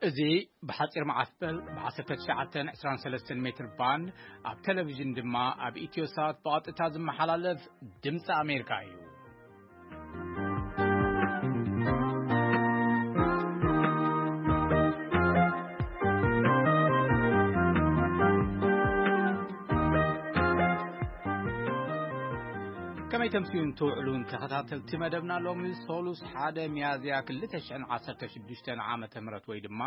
እዚ ብሓጺር መዓስበል ብ19 23 ሜትር ባንድ፣ ኣብ ቴሌቪዥን ድማ ኣብ ኢትዮሳት ብቐጥታ ዝመሓላለፍ ድምፂ ኣሜሪካ እዩ። ከመይ ተምስዩን ትውዕሉን ተኸታተልቲ መደብና፣ ሎሚ ሶሉስ ሓደ ሚያዝያ 2016 ዓመተ ምህረት ወይ ድማ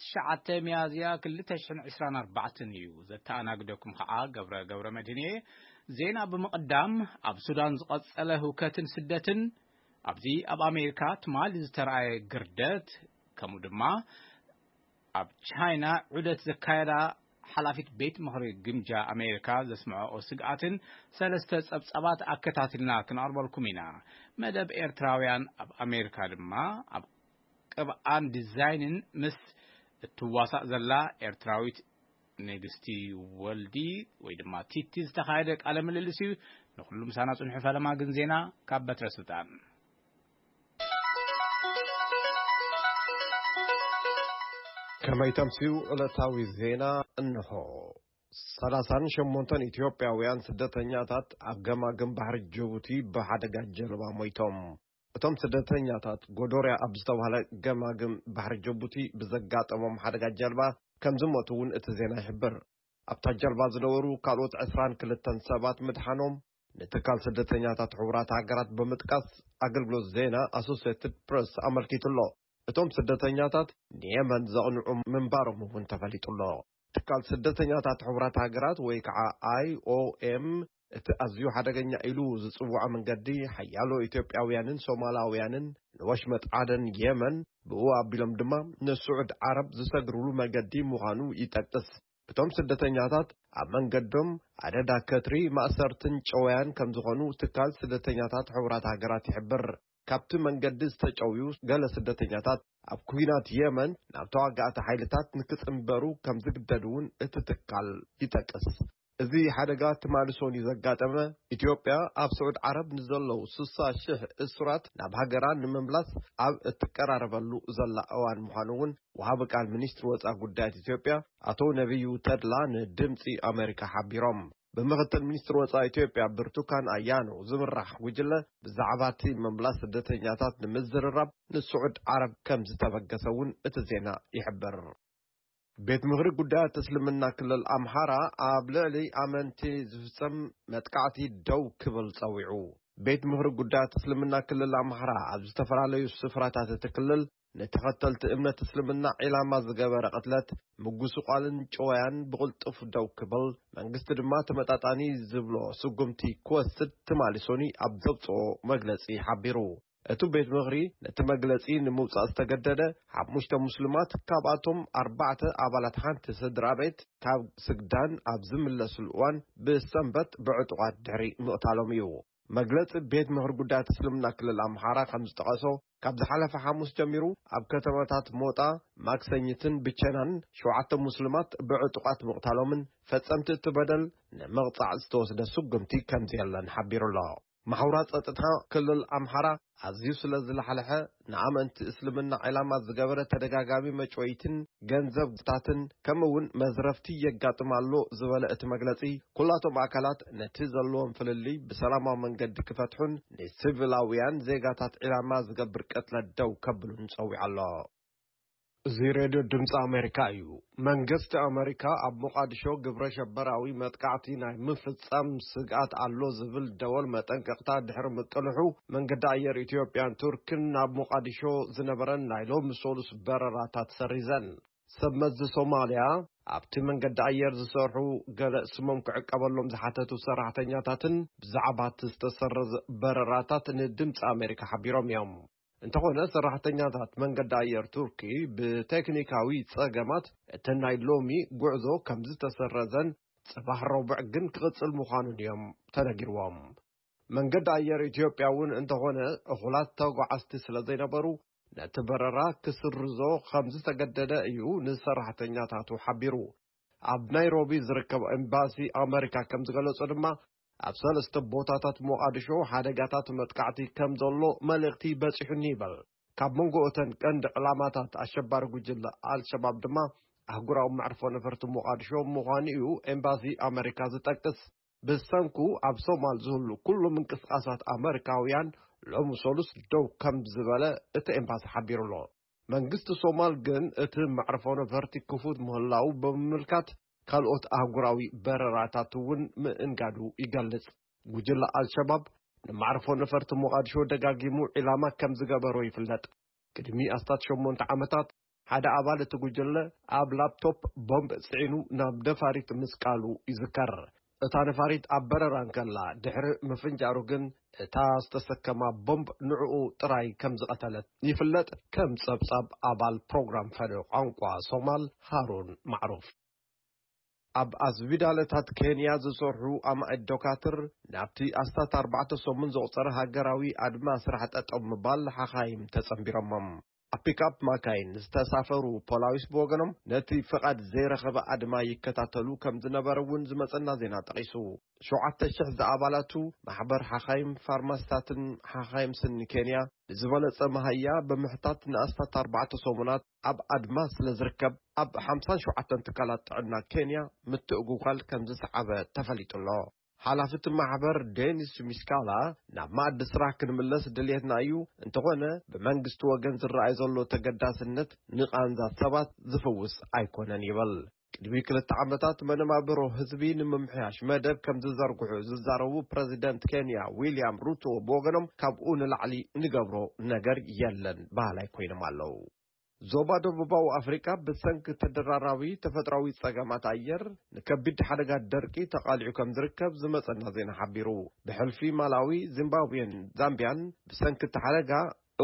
ትሽዓተ ሚያዝያ 2024 እዩ። ዘተኣናግደኩም ከዓ ገብረ፣ ገብረ መድህን እየ። ዜና ብምቕዳም፣ ኣብ ሱዳን ዝቐጸለ ህውከትን ስደትን፣ ኣብዚ ኣብ ኣሜሪካ ትማሊ ዝተረኣየ ግርደት፣ ከምኡ ድማ ኣብ ቻይና ዑደት ዘካየዳ ሓላፊት ቤት ምኽሪ ግምጃ ኣሜሪካ ዘስምዐኦ ስግኣትን ሰለስተ ጸብጻባት ኣከታትልና ክንቐርበልኩም ኢና። መደብ ኤርትራውያን ኣብ ኣሜሪካ ድማ ኣብ ቅብኣን ዲዛይንን ምስ እትዋሳእ ዘላ ኤርትራዊት ንግስቲ ወልዲ ወይ ድማ ቲቲ ዝተኻየደ ቃለ ምልልስ እዩ። ንኹሉ ምሳና ጽንሑ። ፈለማ ግን ዜና ካብ በትረ ስልጣን። ከመይ ተምስዩ ዕለታዊ ዜና እንሆ። ሰላሳን ሸሞንተን ኢትዮጵያውያን ስደተኛታት ኣብ ገማግም ባሕሪ ጅቡቲ ብሓደጋ ጀልባ ሞይቶም። እቶም ስደተኛታት ጎዶርያ ኣብ ዝተባህለ ገማግም ባሕሪ ጅቡቲ ብዘጋጠሞም ሓደጋ ጀልባ ከም ዝሞቱ እውን እቲ ዜና ይሕብር። ኣብታ ጀልባ ዝነበሩ ካልኦት ዕስራን ክልተን ሰባት ምድሓኖም ንትካል ስደተኛታት ሕቡራት ሃገራት ብምጥቃስ ኣገልግሎት ዜና ኣሶሲየትድ ፕረስ ኣመልኪቱ ኣሎ። እቶም ስደተኛታት ንየመን ዘቕንዑ ምንባሮም እውን ተፈሊጡ ኣሎ። ትካል ስደተኛታት ሕቡራት ሃገራት ወይ ከዓ ኣይ ኦ ኤም እቲ ኣዝዩ ሓደገኛ ኢሉ ዝጽውዖ መንገዲ ሓያሎ ኢትዮጵያውያንን ሶማላውያንን ንወሽመጥ ዓደን የመን ብኡ ኣቢሎም ድማ ንስዑድ ዓረብ ዝሰግርሉ መገዲ ምዃኑ ይጠቅስ። እቶም ስደተኛታት ኣብ መንገዶም ኣደዳ ከትሪ፣ ማእሰርትን ጨወያን ከም ዝኾኑ ትካል ስደተኛታት ሕቡራት ሃገራት ይሕብር። ካብቲ መንገዲ ዝተጨውዩ ገለ ስደተኛታት ኣብ ኩናት የመን ናብ ተዋጋእቲ ሓይልታት ንክጽንበሩ ከም ዝግደዱ እውን እቲ ትካል ይጠቅስ። እዚ ሓደጋ ትማሊ ሰኑይ ዘጋጠመ፣ ኢትዮጵያ ኣብ ስዑድ ዓረብ ንዘለዉ ስሳ ሽሕ እሱራት ናብ ሃገራ ንምምላስ ኣብ እትቀራረበሉ ዘላ እዋን ምዃኑ እውን ወሃቢ ቃል ሚኒስትሪ ወጻኢ ጉዳያት ኢትዮጵያ ኣቶ ነቢዩ ተድላ ንድምጺ ኣሜሪካ ሓቢሮም። ብምክትል ሚኒስትሪ ወጻኢ ኢትዮጵያ ብርቱካን ኣያኖ ዝምራሕ ጉጅለ ብዛዕባ እቲ ምምላስ ስደተኛታት ንምዝርራብ ንስዑድ ዓረብ ከም ዝተበገሰ እውን እቲ ዜና ይሕብር። ቤት ምኽሪ ጉዳያት እስልምና ክልል ኣምሓራ ኣብ ልዕሊ ኣመንቲ ዝፍጸም መጥቃዕቲ ደው ክብል ጸዊዑ። ቤት ምኽሪ ጉዳያት እስልምና ክልል ኣምሓራ ኣብ ዝተፈላለዩ ስፍራታት እቲ ክልል ንተኸተልቲ እምነት እስልምና ዒላማ ዝገበረ ቅትለት፣ ምጉስቋልን ጨወያን ብቕልጡፍ ደው ክብል፣ መንግስቲ ድማ ተመጣጣኒ ዝብሎ ስጉምቲ ክወስድ ትማሊ ሰኑይ ኣብ ዘውፅኦ መግለፂ ሓቢሩ። እቲ ቤት ምኽሪ ነቲ መግለጺ ንምውጻእ ዝተገደደ፣ ሓሙሽተ ሙስሊማት፣ ካብኣቶም ኣርባዕተ ኣባላት ሓንቲ ስድራ ቤት፣ ካብ ስግዳን ኣብ ዝምለስሉ እዋን ብሰንበት ብዕጡቓት ድሕሪ ምቕታሎም እዩ። መግለጺ ቤት ምኽሪ ጉዳያት እስልምና ክልል ኣምሓራ ከም ዝጠቐሶ፣ ካብ ዝሓለፈ ሓሙስ ጀሚሩ ኣብ ከተማታት ሞጣ፣ ማክሰኝትን ብቸናን ሸውዓተ ሙስሊማት ብዕጡቓት ምቕታሎምን ፈጸምቲ እቲ በደል ንምቕጻዕ ዝተወስደ ስጉምቲ ከም ዘየለን ሓቢሩ ኣሎ። ማሕውራት ጸጥታ ክልል ኣምሓራ ኣዝዩ ስለ ዝለሓልሐ፣ ንኣመንቲ እስልምና ዕላማ ዝገበረ ተደጋጋሚ መጭወይትን ገንዘብታትን ከምኡ እውን መዝረፍቲ የጋጥም ኣሎ ዝበለ እቲ መግለጺ፣ ኩላቶም ኣካላት ነቲ ዘለዎም ፍልልይ ብሰላማዊ መንገዲ ክፈትሑን ንሲቪላውያን ዜጋታት ዕላማ ዝገብር ቅትለት ደው ከብሉን ጸዊዑ ኣሎ። እዚ ሬድዮ ድምፂ ኣሜሪካ እዩ። መንግስቲ ኣሜሪካ ኣብ ሞቃዲሾ ግብረ ሸበራዊ መጥቃዕቲ ናይ ምፍጻም ስግኣት ኣሎ ዝብል ደወል መጠንቀቕታ ድሕሪ ምቅልሑ፣ መንገዲ ኣየር ኢትዮጵያን ቱርክን ናብ ሞቃዲሾ ዝነበረን ናይ ሎሚ ሰሉስ በረራታት ሰሪዘን። ሰብ መዚ ሶማልያ ኣብቲ መንገዲ ኣየር ዝሰርሑ ገለ ስሞም ክዕቀበሎም ዝሓተቱ ሰራሕተኛታትን ብዛዕባ እቲ ዝተሰረዘ በረራታት ንድምፂ ኣሜሪካ ሓቢሮም እዮም። እንተኾነ፣ ሰራሕተኛታት መንገዲ ኣየር ቱርኪ ብቴክኒካዊ ጸገማት እቲ ናይ ሎሚ ጉዕዞ ከም ዝተሰረዘን ጽባሕ ረቡዕ ግን ክቕጽል ምዃኑን እዮም ተነጊርዎም። መንገዲ ኣየር ኢትዮጵያ እውን እንተኾነ፣ እኹላት ተጓዓዝቲ ስለ ዘይነበሩ፣ ነቲ በረራ ክስርዞ ከም ዝተገደደ እዩ ንሰራሕተኛታቱ ሓቢሩ። ኣብ ናይሮቢ ዝርከብ ኤምባሲ ኣመሪካ ከም ዝገለጾ ድማ፣ ኣብ ሰለስተ ቦታታት ሞቓዲሾ ሓደጋታት መጥቃዕቲ ከም ዘሎ መልእኽቲ በጺሑኒ ይብል። ካብ መንጎ እተን ቀንዲ ዕላማታት ኣሸባሪ ጉጅለ ኣልሸባብ ድማ ኣህጉራዊ መዕርፎ ነፈርቲ ሞቓድሾ ምዃኑ እዩ ኤምባሲ ኣመሪካ ዝጠቅስ። ብሰንኩ ኣብ ሶማል ዝህሉ ኩሉ ምንቅስቓሳት ኣመሪካውያን ሎሚ ሰሉስ ደው ከም ዝበለ እቲ ኤምባሲ ሓቢሩ ኣሎ። መንግስቲ ሶማል ግን እቲ መዕርፎ ነፈርቲ ክፉት ምህላው ብምምልካት ካልኦት ኣህጉራዊ በረራታት እውን ምእንጋዱ ይገልጽ። ጉጅለ ኣልሸባብ ንመዕርፎ ነፈርቲ ሞቓድሾ ደጋጊሙ ዒላማ ከም ዝገበሮ ይፍለጥ። ቅድሚ ኣስታት ሸሞንተ ዓመታት ሓደ ኣባል እቲ ጉጅለ ኣብ ላፕቶፕ ቦምብ ጽዒኑ ናብ ነፋሪት ምስቃሉ ይዝከር። እታ ነፋሪት ኣብ በረራ እንከላ ድሕሪ ምፍንጃሩ ግን እታ ዝተሰከማ ቦምብ ንዕኡ ጥራይ ከም ዝቐተለት ይፍለጥ። ከም ጸብጻብ ኣባል ፕሮግራም ፈለዮ ቋንቋ ሶማል ሃሩን ማዕሩፍ። ኣብ ኣስቢዳለታት ኬንያ ዝሰርሑ ኣማኢት ዶካትር ናብቲ ኣስታት ኣርባዕተ ሰሙን ዘቑጸረ ሃገራዊ ኣድማ ስራሕ ጠጠው ምባል ሓኻይም ተጸንቢሮሞም። ኣብ ፒክኣፕ ማካይን ዝተሳፈሩ ፖላዊስ ብወገኖም ነቲ ፍቓድ ዘይረኸበ ኣድማ ይከታተሉ ከም ዝነበረ እውን ዝመጸና ዜና ጠቒሱ። ሸውዓተ ሽሕ ዝኣባላቱ ማሕበር ሓኻይም ፋርማስታትን ሓኻይም ስኒ ኬንያ ንዝበለጸ መሃያ ብምሕታት ንኣስታት ኣርባዕተ ሰሙናት ኣብ ኣድማ ስለ ዝርከብ ኣብ ሓምሳን ሸውዓተን ትካላት ጥዕና ኬንያ ምትእጉጓል ከም ዝሰዓበ ተፈሊጡ ኣሎ። ሓላፊ እቲ ማሕበር ዴኒስ ሚስካላ ናብ መኣዲ ስራሕ ክንምለስ ድልየትና እዩ፣ እንተኾነ ብመንግስቲ ወገን ዝረኣይ ዘሎ ተገዳስነት ንቓንዛ ሰባት ዝፍውስ ኣይኮነን ይብል። ቅድሚ ክልተ ዓመታት መነባብሮ ህዝቢ ንምምሕያሽ መደብ ከም ዝዘርግሑ ዝዛረቡ ፕረዚደንት ኬንያ ዊልያም ሩቶ ብወገኖም ካብኡ ንላዕሊ እንገብሮ ነገር የለን በሃላይ ኮይኖም ኣለዉ። ዞባ ደቡባዊ ኣፍሪቃ ብሰንኪ ተደራራቢ ተፈጥሮኣዊ ጸገማት ኣየር ንከቢድ ሓደጋ ደርቂ ተቓሊዑ ከም ዝርከብ ዝመጸና ዜና ሓቢሩ። ብሕልፊ ማላዊ፣ ዚምባብዌን ዛምቢያን ብሰንኪ እቲ ሓደጋ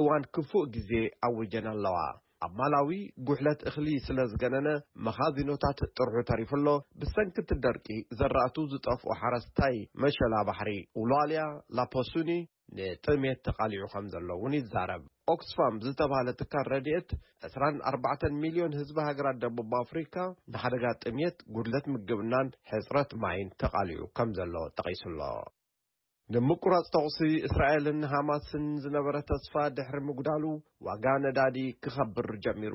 እዋን ክፉእ ግዜ ኣዊጀን ኣለዋ። ኣብ ማላዊ ጉሕለት እኽሊ ስለ ዝገነነ መኻዚኖታት ጥርሑ ተሪፉ ኣሎ። ብሰንኪ እቲ ደርቂ ዘራእቱ ዝጠፍኡ ሓረስታይ መሸላ ባሕሪ ኡላልያ ላፖሱኒ ንጥሜት ተቓሊዑ ከም ዘሎ እውን ይዛረብ። ኦክስፋም ዝተባህለ ትካል ረድኤት ዕስራን ኣርባዕተን ሚልዮን ህዝቢ ሃገራት ደቡብ ኣፍሪካ ንሓደጋ ጥሜት፣ ጉድለት ምግብናን ሕፅረት ማይን ተቓሊዑ ከም ዘሎ ጠቒሱ ኣሎ። ንምቁራፅ ተኹሲ እስራኤልን ሃማስን ዝነበረ ተስፋ ድሕሪ ምጉዳሉ ዋጋ ነዳዲ ክኸብር ጀሚሩ።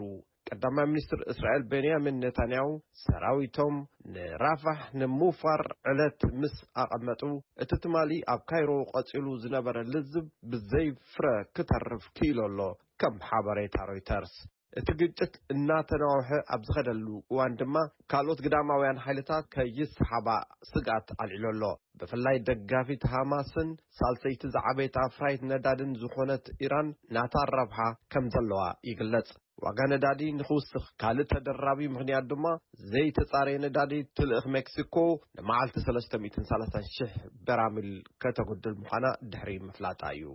ቀዳማይ ሚኒስትር እስራኤል ቤንያሚን ኔታንያሁ ሰራዊቶም ንራፋሕ ንምውፋር ዕለት ምስ ኣቐመጡ፣ እቲ ትማሊ ኣብ ካይሮ ቀጺሉ ዝነበረ ልዝብ ብዘይ ፍረ ክተርፍ ክኢሉ ኣሎ፣ ከም ሓበሬታ ሮይተርስ። እቲ ግጭት እናተናውሐ ኣብ ዝኸደሉ እዋን ድማ ካልኦት ግዳማውያን ሓይልታት ከይሰሓባ ስግኣት ኣልዒሉ ኣሎ። ብፍላይ ደጋፊት ሃማስን ሳልሰይቲ ዝዓበየት ኣፍራይት ነዳድን ዝኾነት ኢራን ናታ ረብሓ ከም ዘለዋ ይግለጽ። ዋጋ ነዳዲ ንኽውስኽ ካልእ ተደራቢ ምኽንያት ድማ ዘይተጻረየ ነዳዲ ትልእኽ ሜክሲኮ ንመዓልቲ ሰለስተ ሚእትን ሰላሳን ሽሕ በራሚል ከተጉድል ምዃና ድሕሪ ምፍላጣ እዩ።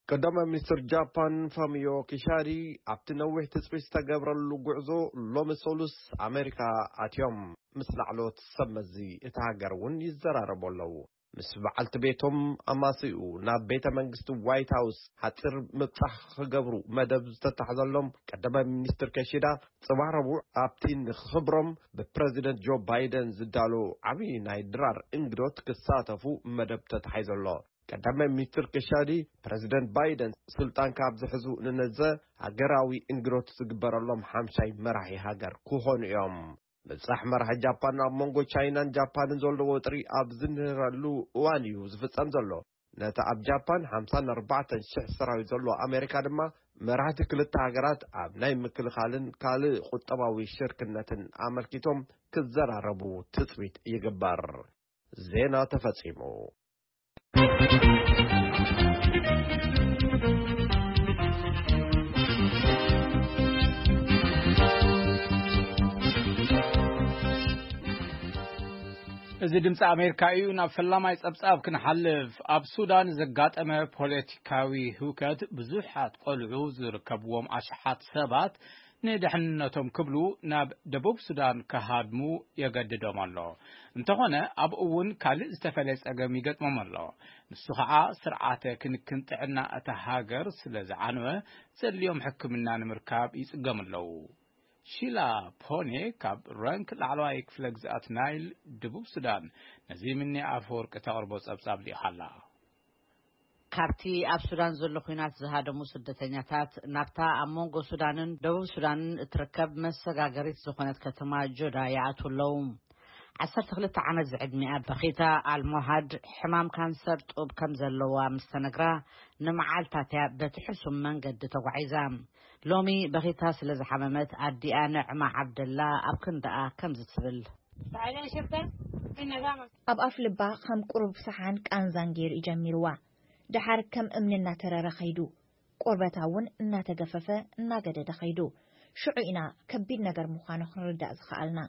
ቀዳማይ ሚኒስትር ጃፓን ፋሚዮ ኪሻዲ ኣብቲ ነዊሕ ትጽቢት ዝተገብረሉ ጉዕዞ ሎሚ ሰሉስ ኣሜሪካ ኣትዮም። ምስ ላዕለዎት ሰብ መዚ እታ ሃገር እውን ይዘራረቡ ኣለዉ። ምስ በዓልቲ ቤቶም ኣማስይኡ ናብ ቤተ መንግስቲ ዋይት ሃውስ ሓጺር ምብጻሕ ክገብሩ መደብ ዝተታሕዘሎም ቀዳማይ ሚኒስትር ኪሺዳ፣ ጽባሕ ረቡዕ ኣብቲ ንኽብሮም ብፕረዚደንት ጆ ባይደን ዝዳሎ ዓብዪ ናይ ድራር እንግዶት ክሳተፉ መደብ ተታሒዙ ኣሎ። ቀዳማይ ሚኒስትር ኪሻዲ፣ ፕረዚደንት ባይደን ስልጣን ካብ ዝሕዙ ንነዘ ሃገራዊ እንግዶት ዝግበረሎም ሓምሻይ መራሒ ሃገር ክኾኑ እዮም። ምብጻሕ መራሒ ጃፓን ኣብ መንጎ ቻይናን ጃፓንን ዘሎ ወጥሪ ኣብ ዝንህረሉ እዋን እዩ ዝፍጸም ዘሎ። ነቲ ኣብ ጃፓን ሓምሳን ኣርባዕተን ሽሕ ሰራዊት ዘለዎ ኣሜሪካ ድማ መራሕቲ ክልተ ሃገራት ኣብ ናይ ምክልኻልን ካልእ ቁጠባዊ ሽርክነትን ኣመልኪቶም ክዘራረቡ ትጽቢት ይግበር። ዜና ተፈጺሙ። እዚ ድምፂ ኣሜሪካ እዩ። ናብ ፈላማይ ጸብጻብ ክንሓልፍ፣ ኣብ ሱዳን ዘጋጠመ ፖለቲካዊ ህውከት ብዙሓት ቆልዑ ዝርከብዎም ኣሽሓት ሰባት ንድሕንነቶም ክብሉ ናብ ደቡብ ሱዳን ክሃድሙ የገድዶም ኣሎ። እንተኾነ ኣብኡ እውን ካልእ ዝተፈለየ ጸገም ይገጥሞም ኣሎ። ንሱ ኸዓ ስርዓተ ክንክን ጥዕና እታ ሃገር ስለ ዝዓነወ ዘድልዮም ሕክምና ንምርካብ ይጽገሙ ኣለዉ። ሺላ ፖኔ ካብ ረንክ ላዕለዋይ ክፍለ ግዝኣት ናይል ደቡብ ሱዳን ነዚ ምኒ ኣፈወርቂ ተቕርቦ ጸብጻብ ልኢኻ ኣላ። ካብቲ ኣብ ሱዳን ዘሎ ኲናት ዝሃደሙ ስደተኛታት ናብታ ኣብ መንጎ ሱዳንን ደቡብ ሱዳንን እትርከብ መሰጋገሪት ዝኾነት ከተማ ጆዳ ይኣትዉ ኣለዉ። ዓሰርተ ክልተ ዓመት ዝዕድሚኣ በኺታ ኣልሞሃድ ሕማም ካንሰር ጡብ ከም ዘለዋ ምስ ተነግራ፣ ንመዓልታት እያ በቲ ሕሱም መንገዲ ተጓዒዛ። ሎሚ በኺታ ስለ ዝሓመመት፣ ኣዲኣ ንዕማ ዓብደላ ኣብ ክንዳኣ ከምዚ ትብል። ኣብ ኣፍ ልባ ከም ቁሩብ ሰሓን ቃንዛን ገይሩ እዩ ጀሚርዋ። ደሓር ከም እምኒ እናተረረ ኸይዱ። ቆርበታ እውን እናተገፈፈ እናገደደ ኸይዱ። ሽዑ ኢና ከቢድ ነገር ምዃኑ ክንርዳእ ዝኸኣልና።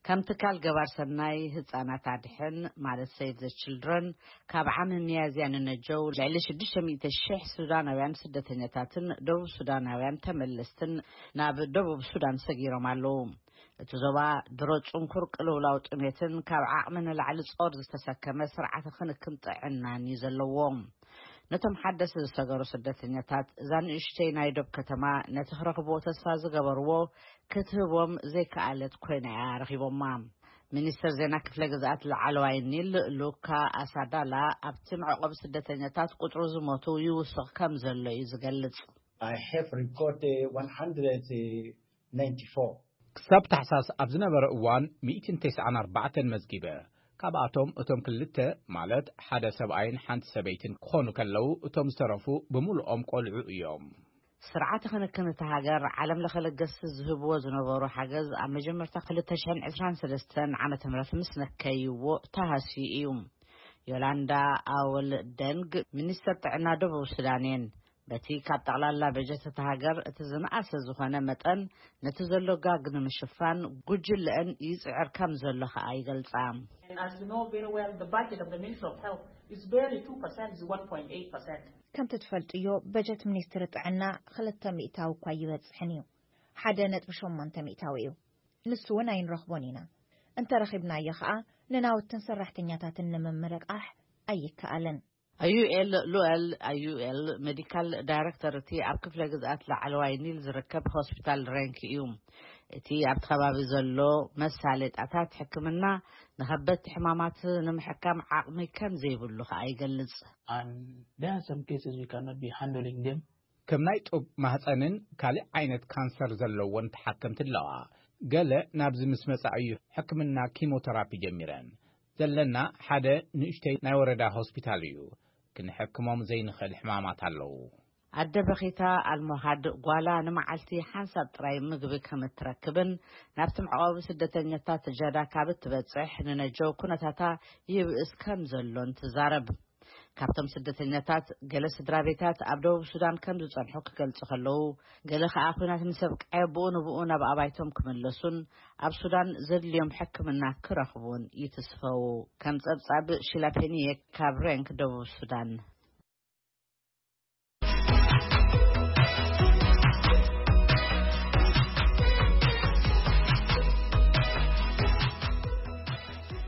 ከም ትካል ገባር ሰናይ ህጻናት ኣድሕን ማለት ሴቭ ዘ ችልድረን፣ ካብ ዓሚ ሚያዝያ ንነጀው ልዕሊ ሽዱሽተ ሚእቲ ሽሕ ሱዳናውያን ስደተኛታትን ደቡብ ሱዳናውያን ተመለስትን ናብ ደቡብ ሱዳን ሰጊሮም ኣለዉ። እቲ ዞባ ድሮ ጽንኩር ቅልውላው ጥሜትን ካብ ዓቕሚ ንላዕሊ ጾር ዝተሰከመ ስርዓተ ክንክን ጥዕናን እዩ ዘለዎ። ነቶም ሓደስቲ ዝሰገሩ ስደተኛታት እዛ ንእሽተይ ናይ ዶብ ከተማ ነቲ ክረኽብዎ ተስፋ ዝገበርዎ ክትህቦም ዘይከኣለት ኮይና እያ ረኺቦማ። ሚኒስትር ዜና ክፍለ ግዝኣት ላዕለዋይ ኒል ሉካ ኣሳዳላ ኣብቲ መዕቆቢ ስደተኛታት ቁጽሩ ዝሞቱ ይውስኽ ከም ዘሎ እዩ ዝገልጽ። I have recorded one hundred ninety-four. ክሳብ ታሕሳስ ኣብ ዝነበረ እዋን ሚእትን ተስዓን ኣርባዕተን መዝጊበ። ካብኣቶም እቶም ክልተ ማለት ሓደ ሰብኣይን ሓንቲ ሰበይትን ክኾኑ ከለዉ እቶም ዝተረፉ ብምሉኦም ቆልዑ እዮም። ስርዓተ ክንክን እታ ሃገር ዓለም ለኸ ለገስቲ ዝህብዎ ዝነበሩ ሓገዝ ኣብ መጀመርታ ክልተ ሽሕን ዕስራን ሰለስተን ዓመተ ምህረት ምስ ነከይዎ ተሃስዩ እዩ። ዮላንዳ ኣወል ደንግ ሚኒስተር ጥዕና ደቡብ ሱዳን እየን። በቲ ካብ ጠቕላላ በጀት እታ ሃገር እቲ ዝነኣሰ ዝኾነ መጠን ነቲ ዘሎ ጋግ ንምሽፋን ጉጅለአን ይጽዕር ከም ዘሎ ከኣ ይገልጻ። And as you know very well, the budget of the Ministry of Health is barely two percent, is one point eight percent. ከምቲ ትፈልጥዮ በጀት ሚኒስትሪ ጥዕና ክልተ ሚእታዊ እኳ ይበጽሕን እዩ። ሓደ ነጥቢ ሸሞንተ ሚእታዊ እዩ። ንሱ እውን ኣይንረኽቦን ኢና። እንተረኺብናዮ ኸኣ ንናውትን ሰራሕተኛታትን ንምምርቃሕ ኣይከኣልን። ኣዩኤል ሉኤል ኣዩኤል ሜዲካል ዳይሬክተር እቲ ኣብ ክፍለ ግዝኣት ላዕለዋይ ኒል ዝርከብ ሆስፒታል ሬንክ እዩ። እቲ ኣብቲ ከባቢ ዘሎ መሳለጣታት ሕክምና ንኸበድቲ ሕማማት ንምሕካም ዓቕሚ ከም ዘይብሉ ከኣ ይገልጽ። And there are some cases we cannot be handling them. ከም ናይ ጡብ ማህፀንን ካልእ ዓይነት ካንሰር ዘለወን ተሓከምቲ ኣለዋ። ገለ ናብዚ ምስ መጻ እዩ ሕክምና ኪሞተራፒ ጀሚረን። ዘለና ሓደ ንእሽተይ ናይ ወረዳ ሆስፒታል እዩ። ክንሕክሞም ዘይንኽእል ሕማማት ኣለዉ። ኣደ በኺታ ኣልሞሃድ ጓላ ንመዓልቲ ሓንሳብ ጥራይ ምግቢ ከም እትረክብን ናብቲ መዕቆቢ ስደተኛታት ጀዳ ካብ እትበጽሕ ንነጀው ኩነታታ ይብእስ ከም ዘሎን ትዛረብ። ካብቶም ስደተኛታት ገለ ስድራ ቤታት ኣብ ደቡብ ሱዳን ከም ዝጸንሑ ክገልጹ ከለዉ፣ ገለ ከኣ ኲናት ምስ ኣብቅዐ ብኡ ንብኡ ናብ ኣባይቶም ክምለሱን ኣብ ሱዳን ዘድልዮም ሕክምና ክረኽቡን ይትስፈዉ። ከም ጸብጻብ ሺላ ፔኒየ ካብ ሬንክ ደቡብ ሱዳን።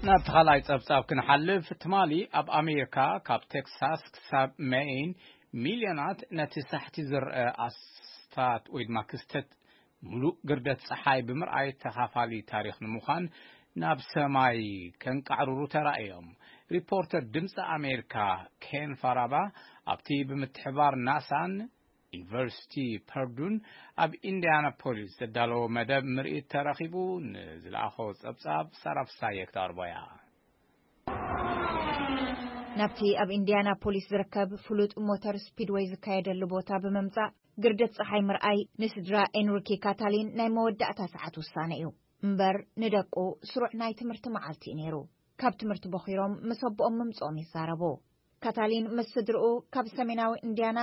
ናብ ተኻላይ ጸብጻብ ክንሓልፍ፣ ትማሊ ኣብ ኣሜሪካ ካብ ቴክሳስ ክሳብ ሜይን ሚልዮናት ነቲ ሳሕቲ ዝረአ ኣስታት ወይ ድማ ክስተት ምሉእ ግርደት ጸሓይ ብምርኣይ ተኻፋሊ ታሪኽ ንምዃን ናብ ሰማይ ከንቃዕርሩ ተራእዮም። ሪፖርተር ድምፂ ኣሜሪካ ኬን ፋራባ ኣብቲ ብምትሕባር ናሳን ዩኒቨርሲቲ ፐርዱን ኣብ ኢንዲያናፖሊስ ዘዳለዎ መደብ ምርኢት ተረኺቡ። ንዝለኣኾ ጸብጻብ ሳራ ፍሳየ ክተቕርቦ እያ። ናብቲ ኣብ ኢንዲያናፖሊስ ዝርከብ ፍሉጥ ሞተር ስፒድወይ ዝካየደሉ ቦታ ብምምጻእ ግርደት ጸሓይ ምርኣይ ንስድራ ኤንሪኬ ካታሊን ናይ መወዳእታ ሰዓት ውሳነ እዩ። እምበር ንደቁ ስሩዕ ናይ ትምህርቲ መዓልቲ እዩ ነይሩ። ካብ ትምህርቲ ቦኺሮም ምስ ኣቦኦም ምምጽኦም ይዛረቡ። ካታሊን ምስ ስድርኡ ካብ ሰሜናዊ ኢንዲያና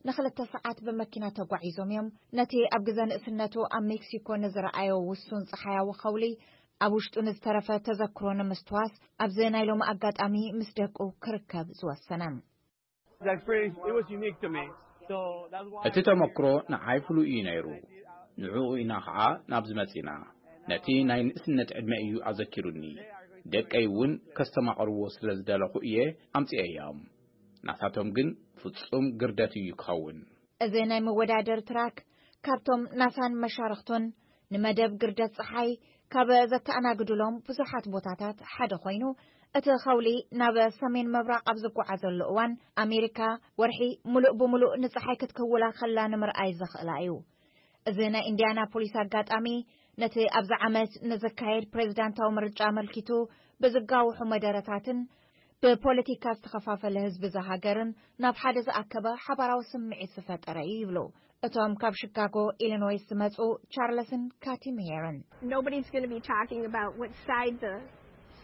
ንኽልተ ሰዓት ብመኪና ተጓዒዞም እዮም። ነቲ ኣብ ግዘ ንእስነቱ ኣብ ሜክሲኮ ንዝረኣዮ ውሱን ጸሓያዊ ኸውሊ ኣብ ውሽጡ ንዝተረፈ ተዘክሮ ንምስትዋስ ኣብዚ ናይ ሎሚ ኣጋጣሚ ምስ ደቁ ክርከብ ዝወሰነ። That experience, it was unique to me. So that's why እቲ ተመክሮ ንዓይ ፍሉይ እዩ ነይሩ። ንዕኡ ኢና ኸዓ ናብዚ መጺና። ነቲ ናይ ንእስነት ዕድመ እዩ ኣዘኪሩኒ። ደቀይ እውን ከስተማቕርዎ ስለ ዝደለኹ እየ ኣምጺኤዮም። ናሳቶም ግን ፍጹም ግርደት እዩ ክኸውን። እዚ ናይ መወዳደሪ ትራክ ካብቶም ናሳን መሻርኽቱን ንመደብ ግርደት ጸሓይ ካብ ዘተኣናግዱሎም ብዙሓት ቦታታት ሓደ ኮይኑ፣ እቲ ኸውሊ ናብ ሰሜን ምብራቕ ኣብ ዝጓዓዘሉ እዋን፣ ኣሜሪካ ወርሒ ምሉእ ብምሉእ ንጸሓይ ክትክውላ ከላ ንምርኣይ ዘኽእላ እዩ። እዚ ናይ ኢንዲያናፖሊስ ኣጋጣሚ፣ ነቲ ኣብዚ ዓመት ንዝካየድ ፕሬዝዳንታዊ ምርጫ ኣመልኪቱ ብዝጋውሑ መደረታትን ብፖለቲካ ዝተኸፋፈለ ህዝቢ እዛ ሃገርን ናብ ሓደ ዝኣከበ ሓባራዊ ስምዒት ዝፈጠረ እዩ ይብሉ እቶም ካብ ሽካጎ ኢሊኖይስ ዝመጹ ቻርለስን ካቲ ሜየርን። Nobody's going to be talking about what side the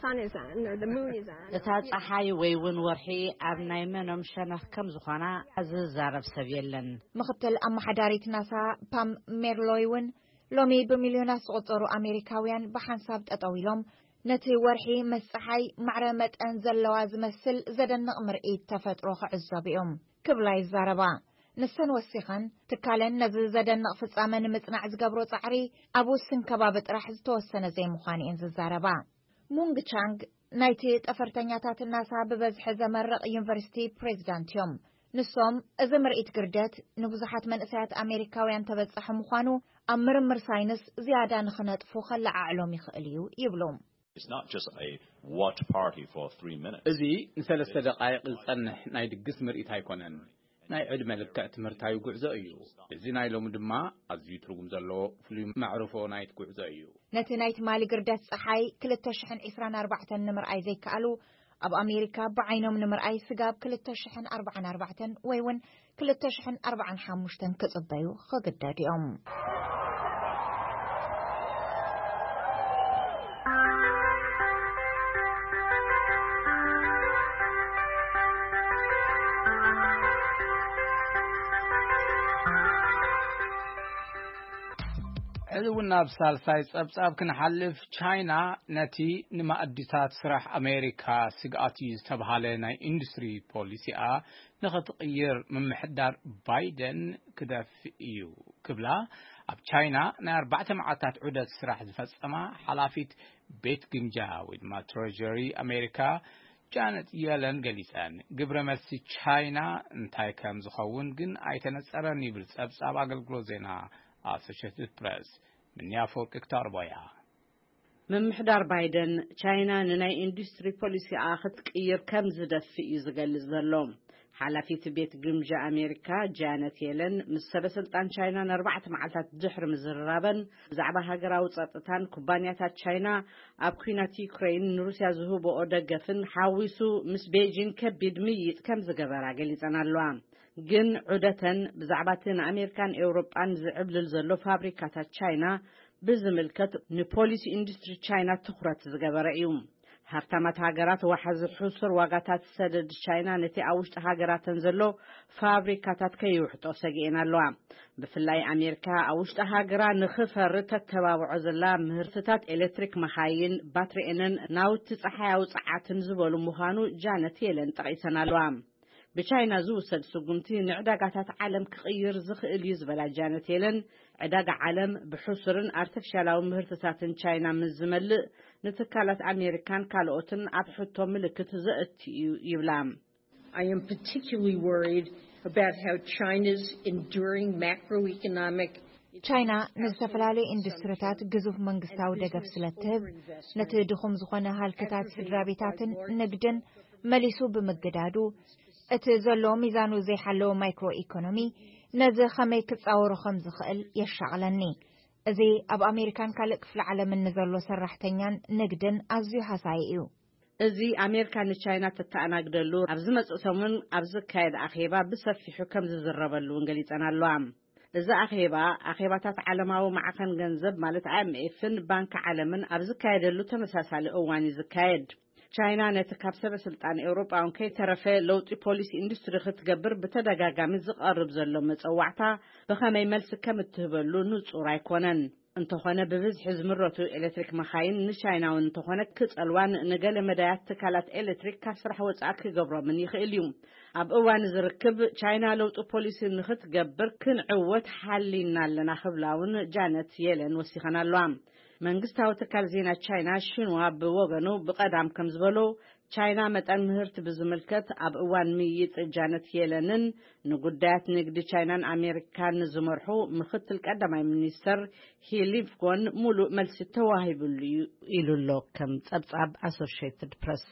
sun is on or the moon is on. እታ ጸሓይ ወይ እውን ወርሒ ኣብ ናይ መኖም ሸነኽ ከም ዝኾና ዝዛረብ ሰብ የለን። ምኽትል ኣመሓዳሪት ናሳ ፓም ሜርሎይ እውን ሎሚ ብሚልዮናት ዝቑጸሩ ኣሜሪካውያን ብሓንሳብ ጠጠው ኢሎም ነቲ ወርሒ ምስ ጸሓይ ማዕረ መጠን ዘለዋ ዝመስል ዘደንቕ ምርኢት ተፈጥሮ ክዕዘቡ እዮም ክብላ ይዛረባ። ንሰን ወሲኸን፣ ትካለን ነዚ ዘደንቕ ፍጻመ ንምጽናዕ ዝገብሮ ጻዕሪ ኣብ ውስን ከባቢ ጥራሕ ዝተወሰነ ዘይምዃኑ እየን ዝዛረባ። ሙንግ ቻንግ ናይቲ ጠፈርተኛታት ናሳ ብበዝሒ ዘመርቕ ዩኒቨርሲቲ ፕሬዚዳንት እዮም። ንሶም፣ እዚ ምርኢት ግርደት ንብዙሓት መንእሰያት ኣሜሪካውያን ተበጻሒ ምዃኑ ኣብ ምርምር ሳይንስ ዝያዳ ንኽነጥፉ ከለዓዕሎም ይኽእል እዩ ይብሉ። It's not just a watch party for three minutes. እዚ ንሰለስተ ደቃይቕ ዝጸንሕ ናይ ድግስ ምርኢት ኣይኮነን። ናይ ዕድመ ልክዕ ትምህርታዊ ጉዕዞ እዩ። እዚ ናይ ሎሚ ድማ ኣዝዩ ትርጉም ዘለዎ ፍሉይ መዕርፎ ናይቲ ጉዕዞ እዩ። ነቲ ናይ ትማሊ ግርደት ጸሓይ ክልተ ሽሕን ዕስራን ኣርባዕተን ንምርኣይ ዘይከኣሉ፣ ኣብ ኣሜሪካ ብዓይኖም ንምርኣይ ስጋብ ክልተ ሽሕን ኣርባዓን ኣርባዕተን ወይ እውን ክልተ ሽሕን ኣርባዓን ሓሙሽተን ክጽበዩ ክግደዱ እዮም። ሕዚ እውን ናብ ሳልሳይ ጸብጻብ ክንሓልፍ፣ ቻይና ነቲ ንማእዲታት ስራሕ ኣሜሪካ ስግኣት እዩ ዝተብሃለ ናይ ኢንዱስትሪ ፖሊሲኣ ንኽትቕይር ምምሕዳር ባይደን ክደፍእ እዩ ክብላ ኣብ ቻይና ናይ ኣርባዕተ መዓልታት ዑደት ስራሕ ዝፈጸማ ሓላፊት ቤት ግምጃ ወይ ድማ ትሬጀሪ ኣሜሪካ ጃነት የለን ገሊጸን። ግብረ መልሲ ቻይና እንታይ ከም ዝኸውን ግን ኣይተነጸረን ይብል ጸብጻብ ኣገልግሎት ዜና ኣሶሽትድ ፕረስ። ምንያ ፎቂ ክተቕርቦ እያ። ምምሕዳር ባይደን ቻይና ንናይ ኢንዱስትሪ ፖሊሲኣ ክትቅይር ከም ዝደፍእ እዩ ዝገልጽ ዘሎ። ሓላፊት ቤት ግምጃ ኣሜሪካ ጃነት የለን ምስ ሰበ ስልጣን ቻይና ንኣርባዕተ መዓልታት ድሕሪ ምዝርራበን፣ ብዛዕባ ሃገራዊ ጸጥታን ኩባንያታት ቻይና ኣብ ኲናት ዩክሬን ንሩስያ ዝህብኦ ደገፍን ሓዊሱ ምስ ቤጂን ከቢድ ምይይጥ ከም ዝገበራ ገሊጸን ኣለዋ። ግን ዑደተን ብዛዕባ እቲ ንኣሜሪካን ኤውሮጳን ዝዕብልል ዘሎ ፋብሪካታት ቻይና ብዝምልከት ንፖሊሲ ኢንዱስትሪ ቻይና ትኹረት ዝገበረ እዩ። ሃብታማት ሃገራት ዋሕዚ ሕሱር ዋጋታት ሰደድ ቻይና ነቲ ኣብ ውሽጢ ሃገራተን ዘሎ ፋብሪካታት ከይውሕጦ ሰጊኤን ኣለዋ። ብፍላይ ኣሜሪካ ኣብ ውሽጢ ሃገራ ንኽፈሪ ተተባብዖ ዘላ ምህርትታት ኤሌክትሪክ መኻይን፣ ባትሪኤንን ናውቲ ጸሓያዊ ጸዓትን ዝበሉ ምዃኑ ጃነት የለን ጠቒሰን ኣለዋ። ብቻይና ዝውሰድ ስጉምቲ ንዕዳጋታት ዓለም ክቕይር ዝኽእል እዩ ዝበላ ጃነት የለን፣ ዕዳጋ ዓለም ብሕሱርን ኣርቲፊሻላዊ ምህርትታትን ቻይና ምስ ዝመልእ ንትካላት ኣሜሪካን ካልኦትን ኣብ ሕቶ ምልክት ዘእቱ እዩ ይብላ። I am particularly worried about how China's enduring macroeconomic ቻይና ንዝተፈላለዩ ኢንዱስትሪታት ግዙፍ መንግስታዊ ደገፍ ስለ እትህብ፣ ነቲ ድኹም ዝኾነ ሃልክታት ስድራ ቤታትን ንግድን መሊሱ ብምግዳዱ፣ እቲ ዘሎ ሚዛኑ ዘይሓለወ ማይክሮ ኢኮኖሚ ነዚ ከመይ ክጻወሮ ከም ዝኽእል የሻቕለኒ። እዚ ኣብ ኣሜሪካን ካልእ ክፍለ ዓለምን ንዘሎ ሰራሕተኛን ንግድን ኣዝዩ ሃሳዪ እዩ። እዚ ኣሜሪካ ንቻይና ተተኣናግደሉ ኣብ ዝመጽእ ሰሙን ኣብ ዝካየድ ኣኼባ ብሰፊሑ ከም ዝዝረበሉ እውን ገሊጸን ኣለዋ። እዚ ኣኼባ፣ ኣኼባታት ዓለማዊ ማዕኸን ገንዘብ ማለት ኣይ ኤም ኤፍን ባንኪ ዓለምን ኣብ ዝካየደሉ ተመሳሳሊ እዋን እዩ ዝካየድ። ቻይና ነቲ ካብ ሰበ ስልጣን ኤውሮጳውን ከይተረፈ ለውጢ ፖሊሲ ኢንዱስትሪ ክትገብር ብተደጋጋሚ ዝቐርብ ዘሎ መጸዋዕታ ብኸመይ መልሲ ከም እትህበሉ ንጹር ኣይኮነን። እንተኾነ ብብዝሒ ዝምረቱ ኤሌክትሪክ መኻይን ንቻይናውን እንተኾነ ክጸልዋን ንገለ መዳያት ትካላት ኤሌክትሪክ ካብ ስራሕ ወጻኢ ክገብሮምን ይኽእል እዩ። ኣብ እዋን ዝርክብ ቻይና ለውጢ ፖሊሲ ንኽትገብር ክንዕወት ሓሊና ኣለና ክብላ እውን ጃነት የለን ወሲኸን ኣለዋ። መንግስታዊ ትካል ዜና ቻይና ሽንዋ ብወገኑ ብቐዳም ከም ዝበሎ ቻይና መጠን ምህርቲ ብዝምልከት ኣብ እዋን ምይይጥ ጃነት የለንን ንጉዳያት ንግዲ ቻይናን ኣሜሪካን ዝመርሑ ምኽትል ቀዳማይ ሚኒስተር ሂ ሊንፍጎን ሙሉእ መልሲ ተዋሂብሉ እዩ ኢሉ ኣሎ ከም ጸብጻብ ኣሶሽየትድ ፕረስ።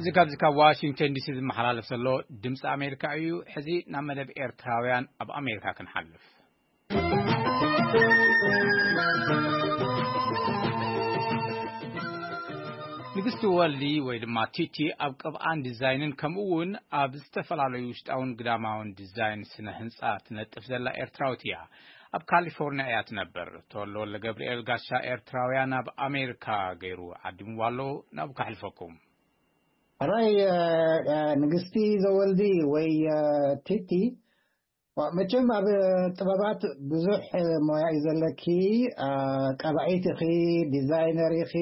እዚ ካብዚ ካብ ዋሽንግተን ዲሲ ዝመሓላለፍ ዘሎ ድምፂ ኣሜሪካ እዩ። ሕዚ ናብ መደብ ኤርትራውያን ኣብ ኣሜሪካ ክንሓልፍ። ንግስቲ ወልዲ ወይ ድማ ቲቲ ኣብ ቅብኣን ዲዛይንን ከምኡ እውን ኣብ ዝተፈላለዩ ውሽጣውን ግዳማውን ዲዛይን ስነ ህንፃ ትነጥፍ ዘላ ኤርትራዊት እያ። ኣብ ካሊፎርኒያ እያ ትነብር። ተወልደ ወልደ ገብርኤል ጋሻ ኤርትራውያን ኣብ ኣሜሪካ ገይሩ ዓዲምዋ ኣሎ። ናብኡ ከሕልፈኩም። ሕራይ ንግስቲ ዘወልዲ ወይ ቲቲ፣ መቸም ኣብ ጥበባት ብዙሕ ሞያ እዩ ዘለኪ። ቀባዒት ኢኺ፣ ዲዛይነር ኢኺ፣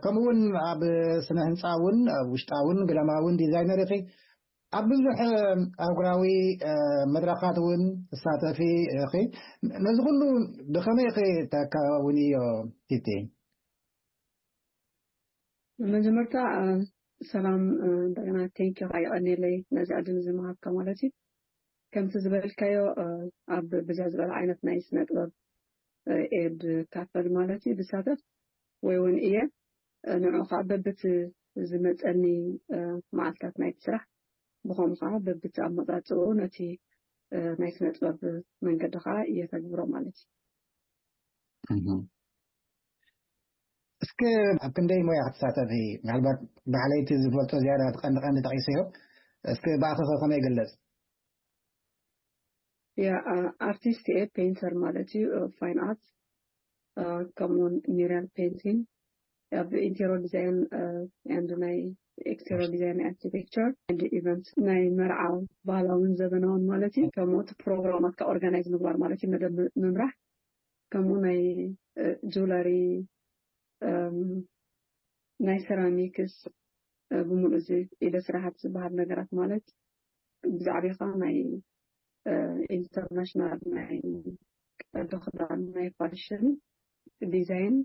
ከምኡ እውን ኣብ ስነ ህንፃ እውን ውሽጣውን ግዳማውን ዲዛይነር ኢኺ። ኣብ ብዙሕ ኣህጉራዊ መድረኻት እውን ትሳተፊ ኢኺ። ነዚ ኩሉ ብኸመይ ኢኺ ተካውንዮ ቲቲ? መጀመርታ ሰላም፣ እንደገና ቴንኪ ካ ይቐኒለይ ነዚ ዕድል እዚ ምሃብካ ማለት እዩ። ከምቲ ዝበልካዮ ኣብ ብዝሕ ዝበለ ዓይነት ናይ ስነ ጥበብ ኤድ ካፈል ማለት እዩ ዝሳተፍ ወይ እውን እየ። ንዑ ከዓ በብቲ ዝመፀኒ መዓልታት ናይቲ ስራሕ፣ ብኸምኡ ከዓ በብቲ ኣመፃፅኡ ነቲ ናይ ስነ ጥበብ መንገዲ ከዓ እየተግብሮ ማለት እዩ። እስኪ ኣብ ክንደይ ሞያ ክትሳተፊ? ምናልባት ባዕለይቲ ዝፈልጦ ዝያዳ እቲ ቀንዲ ቀንዲ ጠቂሰዮ። እስኪ ብኣኺ ከ ከመይ ይግለጽ? ያ ኣርቲስት እየ፣ ፔንተር ማለት እዩ፣ ፋይን ኣርት ከምኡውን ሚራል ፔንቲንግ፣ ኣብ ኢንቴሪየር ዲዛይን፣ ኤንድ ናይ ኤክስቴሪየር ዲዛይን፣ ናይ ኣርኪቴክቸር ኤንድ ኢቨንት፣ ናይ መርዓ ባህላውን ዘበናውን ማለት እዩ። ከምኡ እቲ ፕሮግራማት ካብ ኦርጋናይዝ ምግባር ማለት እዩ፣ መደብ ምምራሕ፣ ከምኡ ናይ ጁለሪ፣ ናይ ሰራሚክስ፣ ብምሉእ እዚ ኢደ ስራሓት ዝበሃል ነገራት ማለት ብዛዕባ ኸዓ ናይ ኢንተርናሽናል ናይ ቀዶ ክዳን፣ ናይ ፋሽን ዲዛይን፣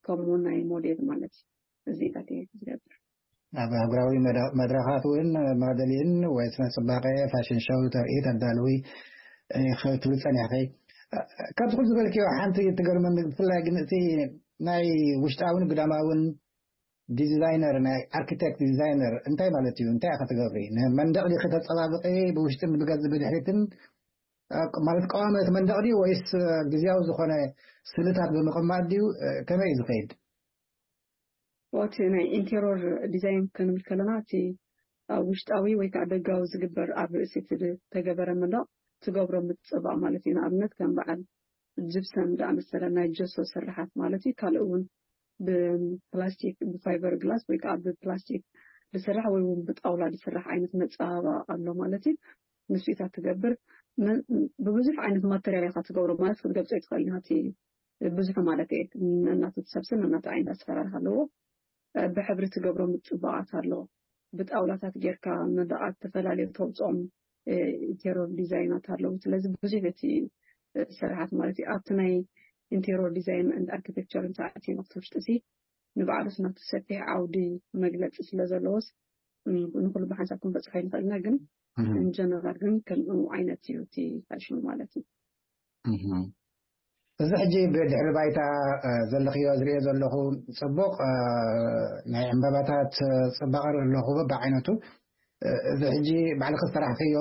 ከምኡ ናይ ሞዴል ማለት እዩ። እዚታት እየ ዝገብር። ኣብ ኣህጉራዊ መድረኻት እውን ማደሊን ወይ ስነ ፅባቐ ፋሽን ሾው ተርኢ ተዳልዊ ክትብል ፀኒሕኺ። ካብዚ ኩሉ ዝበልክዮ ሓንቲ ትገርመኒ፣ ብፍላይ ግን እቲ ናይ ውሽጣውን ግዳማውን ዲዛይነር፣ ናይ ኣርኪቴክት ዲዛይነር እንታይ ማለት እዩ? እንታይ ኢኻ ትገብሪ? ንመንደቕ ዲኺ ተፀባብቂ ብውሽጥን ብገዝ ብድሕሪትን? ማለት ቀዋሚ እቲ መንደቕ ድዩ ወይስ ግዝያዊ ዝኾነ ስእልታት ብምቕማጥ ድዩ? ከመይ እዩ ዝኸይድ? እቲ ናይ ኢንቴሪየር ዲዛይን ክንብል ከለና እቲ ኣብ ውሽጣዊ ወይ ከዓ ደጋዊ ዝግበር ኣብ ርእሲ እቲ ዝተገበረ መንደቕ ትገብሮ ምፅባቕ ማለት እዩ። ንኣብነት ከም በዓል ጅብሰም ዝኣመሰለ ናይ ጀሶ ስርሓት ማለት እዩ። ካልእ እውን ብፕላስቲክ፣ ብፋይበር ግላስ ወይ ከዓ ብፕላስቲክ ዝስራሕ ወይ እውን ብጣውላ ዝስራሕ ዓይነት መፀባበቂ ኣሎ ማለት እዩ። ንስኢታት ትገብር ብብዙሕ ዓይነት ማተሪያል ኢኻ ትገብሮ ማለት ክትገልፆ ይትኽእል ኢና። እቲ ብዙሕ ማለት እየ፣ ነናቱ ሰብስን ነናቱ ዓይነት ኣሰራርሓ ኣለዎ። ብሕብሪ ትገብሮ ምፅባቓት ኣሎ። ብጣውላታት ጌርካ መዳቓት ተፈላለዩ ተውፅኦም ኢንቴሪየር ዲዛይናት ኣለዉ። ስለዚ ብዙሕ እቲ ስርሓት ማለት እዩ ኣብቲ ናይ ኢንቴሪየር ዲዛይን ኣርኪቴክቸር እንተኣትዩ ናብቲ ውሽጢ ሲ ንባዕሉስ ናቱ ሰፊሕ ዓውዲ መግለፂ ስለ ዘለዎስ ንኩሉ ብሓንሳብ ክንበፅሖ ይንኽእል ኢና። ግን እንጀነራል ግን ከምኡ ዓይነት እዩ እቲ ፋሽኑ ማለት እዩ። እዚ ሕጂ ብድሕሪ ባይታ ዘለኽዮ ዝሪኦ ዘለኹ ፅቡቕ ናይ ዕምበባታት ፅባቐ ኣለኹ ብዓይነቱ። እዚ ሕጂ ባዕልኺ ዝሰራሕኽዮ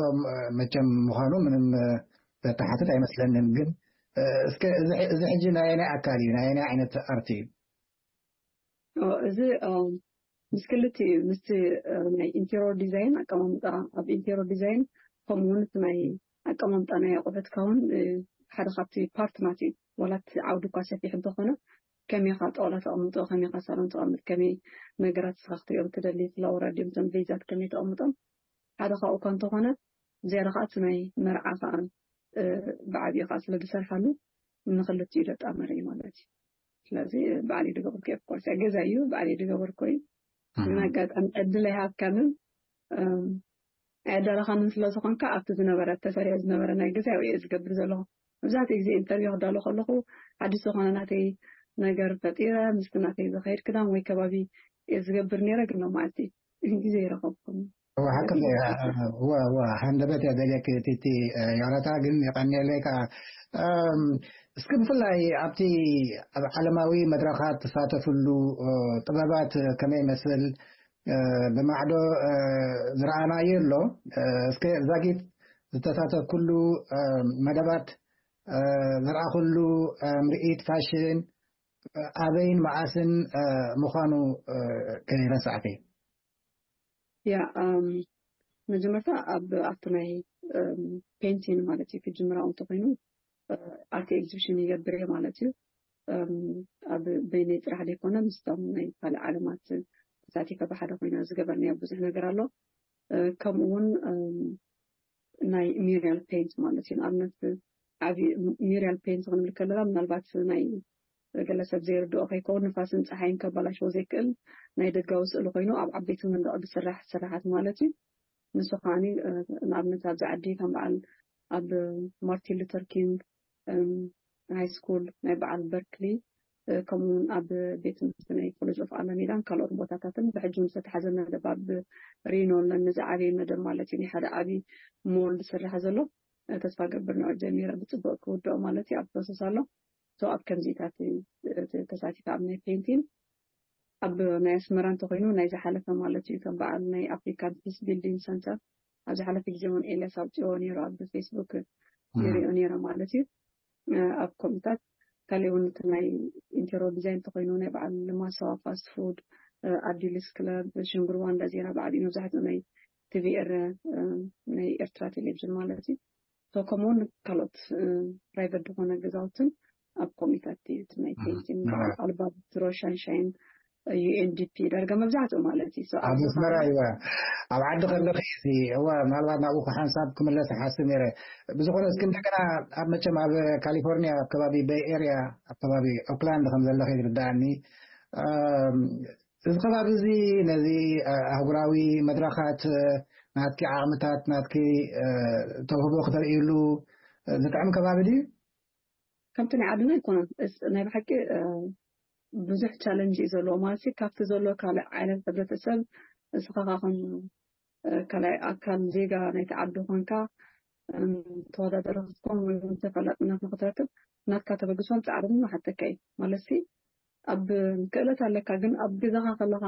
መቸም ምዃኑ ምንም ዘተሓትት ኣይመስለንን። ግን እስከ እዚ ሕጂ ናይ ኣየናይ ኣካል እዩ? ናይ ኣየናይ ዓይነት ኣርት እዩ? እዚ ምስ ክልቲኡ እዩ፣ ምስቲ ናይ ኢንቴሪየር ዲዛይን ኣቀማምጣ፣ ኣብ ኢንቴሪየር ዲዛይን ከምኡ እውን እቲ ናይ ኣቀማምጣ ናይ ኣቑሑትካ እውን ሓደ ካብቲ ፓርት ናት እዩ። ዋላ እቲ ዓውዲ እኳ ሰፊሕ እንተኾነ ከመይ ኢኻ ጣውላ ተቐምጦ፣ ከመይ ኢኻ ሳሎን ተቐምጥ፣ ከመይ ነገራት እስኻ ክትሪኦም ትደሊ፣ ፍላወራት ድዮም እቶም ቬዛት ከመይ ተቐምጦም ሓደ ካብኡ እኳ እንተኾነ ዝያዳ ከዓ እቲ ናይ መርዓ ከዓ ብዓብዩ ከዓ ስለ ዝሰርሓሉ ንክልቲኡ ዘጣመረ እዩ ማለት እዩ። ስለዚ ባዕለይ ዝገበርኩ እየ። ኦፍኮርስ ገዛ እዩ ባዕለይ ዝገበርኩ እዩ። ግን ኣጋጣሚ ዕድል ኣይሃብካንን ኣይዳለኻንን ስለ ዝኾንካ ኣብቲ ዝነበረ ተሰሪዑ ዝነበረ ናይ ገዛ እየ ዝገብር ዘለኹ። መብዛሕትኡ ግዜ ኢንተርቪው ክዳሎ ከለኹ ሓድሽ ዝኾነ ናተይ ነገር ፈጢረ ምስቲ ናተይ ዝኸይድ ክዳን ወይ ከባቢ እየ ዝገብር ነይረ። ግን ሎማዓልቲ ግዜ ይረኸብኩም እዋ ሓቅኺ እዋ እዋ ሃንደበት እያ ደልየኪ ቲቲ ዮናታ ግን የቐንየለይ ከዓ እስኪ ብፍላይ ኣብቲ ኣብ ዓለማዊ መድረኻት ትሳተፍሉ ጥበባት ከመይ ይመስል ብማዕዶ ዝረኣናዮ ኣሎ። እስከ ዛጊት ዝተሳተፍኩሉ መደባት፣ ዝረኣኹሉ ምርኢት ፋሽን ኣበይን መዓስን ምዃኑ ከይረሳዕኪ። ያ መጀመርታ ኣብ ኣብቲ ናይ ፔንቲን ማለት እዩ ክጅምራ እንተኮይኑ ኣርቲ ኤግዚቢሽን ይገብር እየ ማለት እዩ። ኣብ በይነይ ጥራሕ ዘይኮነ ምስቶም ናይ ካልእ ዓለማት ተሳቲፈ ብሓደ ኮይና ዝገበርናዮ ብዙሕ ነገር ኣሎ። ከምኡ እውን ናይ ሚሪያል ፔንት ማለት እዩ። ንኣብነት ዓብ ሚሪያል ፔንት ክንብል ከለና ምናልባት ናይ ገለ ሰብ ዘይርድኦ ከይከውን ንፋስን ፀሓይን ከባላሽዎ ዘይክእል ናይ ደጋዊ ስእሊ ኮይኑ ኣብ ዓበይቲ መንደቕ ዝስራሕ ስራሓት ማለት እዩ። ንሱ ከዓኒ ንኣብነት ኣብዚ ዓዲ ከም በዓል ኣብ ማርቲን ሉተር ኪንግ ሃይ ስኩል ናይ በዓል በርክሊ ከምኡውን ኣብ ቤት ትምህርቲ ናይ ኮሌጅ ኦፍ ኣለሜዳን ካልኦት ቦታታትን ብሕጂ ዝተተሓዘ መደብ ኣብ ሪኖ ኣለኒ ዝዓበየ መደብ ማለት እዩ። ናይ ሓደ ዓብዪ ሞል ዝስራሕ ዘሎ ተስፋ ገብር ንዑ ጀሚረ ብፅቡቅ ክውድኦ ማለት እዩ ኣብ ፕሮሰስ ኣሎ። ሶ ኣብ ከምዚታት ተሳቲፈ ኣብ ናይ ፔንቲን ኣብ ናይ ኣስመራ እንተኮይኑ ናይ ዝሓለፈ ማለት እዩ ከም በዓል ናይ ኣፍሪካን ፒስ ቢልዲንግ ሰንተር ኣብ ዝሓለፈ ግዜ እውን ኤልያስ ኣውፅኦ ነይሩ ኣብ ፌስቡክ ይሪኦ ነይረ ማለት እዩ። ኣብ ኮምፒታት ካሊእ እውን እቲ ናይ ኢንቴሮ ዲዛይን እንተኮይኑ ናይ በዓል ማሳዋ ፋስት ፉድ ኣዲልስ ክለብ ሽንጉርዋ እንዳ ዜና ብዓቢኡ መብዛሕትኡ ናይ ቲቪ ኤረ ናይ ኤርትራ ቴሌቪዥን ማለት እዩ። ከምኡውን ካልኦት ፕራይቨት ዝኾነ ገዛውትን ኣብ ኮሚታት እዩ እቲ ናይ ቴንቲን በዓል ኣልባትሮ ሻንሻይን ዩኤንዲፒ ዳርጋ መብዛሕትኡ ማለት እዩ። ኣብ ኣስመራ እዋ ኣብ ዓዲ ከለኺ እዚ እዋ ምናልባት ናብኡ ሓንሳብ ክምለስ ሓስብ ነይረ። ብዝኾነ እስኪ እንደገና ኣብ መቸም ኣብ ካሊፎርኒያ ኣብ ከባቢ ቤይ ኤርያ ኣብ ከባቢ ኦክላንድ ከም ዘለኺ ይርዳእኒ። እዚ ከባቢ እዚ ነዚ ኣህጉራዊ መድረኻት ናትኪ ዓቕምታት ናትኪ ተውህቦ ክተርእይሉ ዝጥዕም ከባቢ ድዩ? ከምቲ ናይ ዓድና ኣይኮነን። እስ- ናይ ብሓቂ እ፣ ብዙሕ ቻለንጅ እዩ ዘለዎ ማለት እዩ። ካብቲ ዘሎ ካልእ ዓይነት ሕብረተሰብ እስኻ ኸዓ ከም እ፣ ካልኣይ ኣካል ዜጋ ናይቲ ዓዲ ኮንካ እም፣ ተወዳዳሪ ክትኮን ወይ እውን ተፈላጥነት ንክትረክብ ናትካ ተበግሶን ፃዕርን ይሓተካ እዩ ማለት ሲ ኣብ ክእለት ኣለካ፣ ግን ኣብ ገዛኻ ከለኻ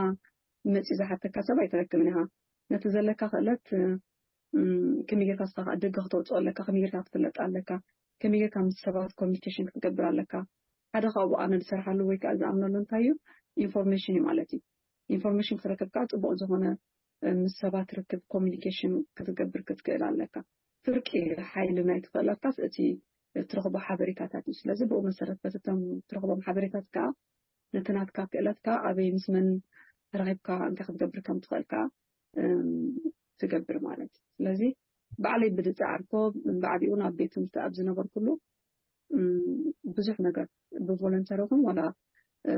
መፂኡ ዝሓተካ ሰብ ኣይትረክብን ኢኻ። ነቲ ዘለካ ክእለት እም፣ ከመይ ጌርካ ንስኻ ከዓ ደገ ክተውፅኦ ኣለካ፣ ከመይ ጌርካ ክትፍለጥ ኣለካ፣ ከመይ ጌርካ ምስ ሰባት ኮሚኒኬሽን ክትገብር ኣለካ። ሓደ ካብኡ ኣነ ዝሰርሓሉ ወይ ከዓ ዝኣምነሉ እንታይ እዩ ኢንፎርሜሽን እዩ ማለት እዩ። ኢንፎርሜሽን ክትረክብ ከዓ ፅቡቅ ዝኾነ እ፣ ምስ ሰባት ርክብ ኮሚኒኬሽን ክትገብር ክትክእል ኣለካ። ፍርቂ ሓይሊ ናይ ትኽእለካስ እቲ ትረኽቦ ሓበሬታታት እዩ። ስለዚ ብኡ መሰረት በቲ እቶም ትረኽቦም ሓበሬታት ከዓ ነቲ ናትካ ክእለትካ ኣበይ ምስ መን ተራኺብካ እንታይ ክትገብር ከም ትኽእል ከዓ እም፣ ትገብር ማለት እዩ። ስለዚ ባዕለይ ብዝፀዓርኮ ብዓቢኡ ናብ ቤት ትምህርቲ ኣብ ዝነበርኩሉ እም፣ ብዙሕ ነገር ብቮለንተሪ ይኹን ዋላ እ፣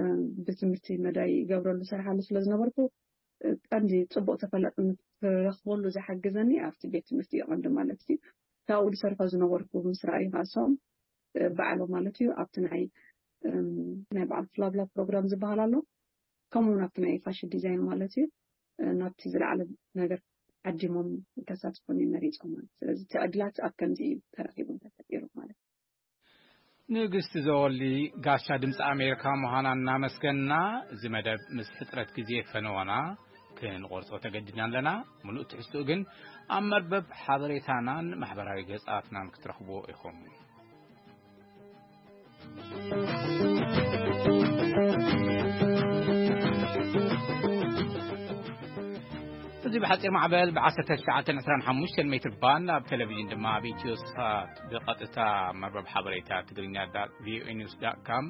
ብትምህርቲ መዳይ ይገብረሉ ሰርሓሉ ስለ ዝነበርኩ እ፣ ቀንዲ ፅቡቅ ተፈላጥነት ክረኽበሉ ዝሓግዘኒ ኣብቲ ቤት ትምህርቲ እዩ ቀንዲ ማለት እዩ። ካብኡ ዝሰርሖ ዝነበርኩ ምስ ረኣዩ ካሶም ባዕሎ ማለት እዩ ኣብቲ ናይ እም፣ ናይ በዓል ፍላብላ ፕሮግራም ዝበሃል ኣሎ ከምኡ እውን ኣብቲ ናይ ፋሽን ዲዛይን ማለት እዩ እ፣ ናብቲ ዝለዓለ ነገር ዓዲሞም ከሳትፉኒ መሪፆም ማለት ስለዚ እቲ ዕድላት ኣብ ከምዚ እዩ ተረኪቡ ተፈጢሩ ማለት ንግስቲ ዘወሊ ጋሻ ድምፂ ኣሜሪካ ምዃና እናመስገና እዚ መደብ ምስ ሕፅረት ግዜ ፈነወና ክንቆርፆ ተገዲድና ኣለና። ምሉእ ትሕዝትኡ ግን ኣብ መርበብ ሓበሬታናን ማሕበራዊ ገፃትናን ክትረኽብዎ ኢኹም። እዚ ብሓፂር ማዕበል ብ1925 ሜትር ባንድ ኣብ ቴሌቪዥን ድማ ኣብ ኢትዮ ሳት ብቐጥታ መርበብ ሓበሬታ ትግርኛ ቪኦኤ ኒውስ ዳት ካም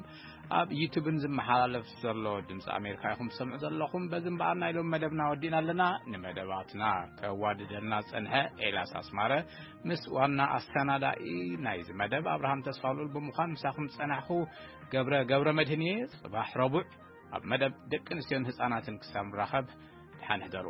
ኣብ ዩቱብን ዝመሓላለፍ ዘሎ ድምፂ ኣሜሪካ ኢኹም ትሰምዑ ዘለኹም። በዚ እምበኣር ናይ ሎም መደብና ወዲእና ኣለና። ንመደባትና ከዋድደልና ዝፀንሐ ኤላስ ኣስማረ ምስ ዋና ኣሰናዳኢ ናይዚ መደብ ኣብርሃም ተስፋሉል ብምዃን ምሳኹም ዝፀናሕኹ ገብረ ገብረ መድህን እየ። ፅባሕ ረቡዕ ኣብ መደብ ደቂ ኣንስትዮን ህፃናትን ክሳብ ንራኸብ ድሓን ሕደሩ።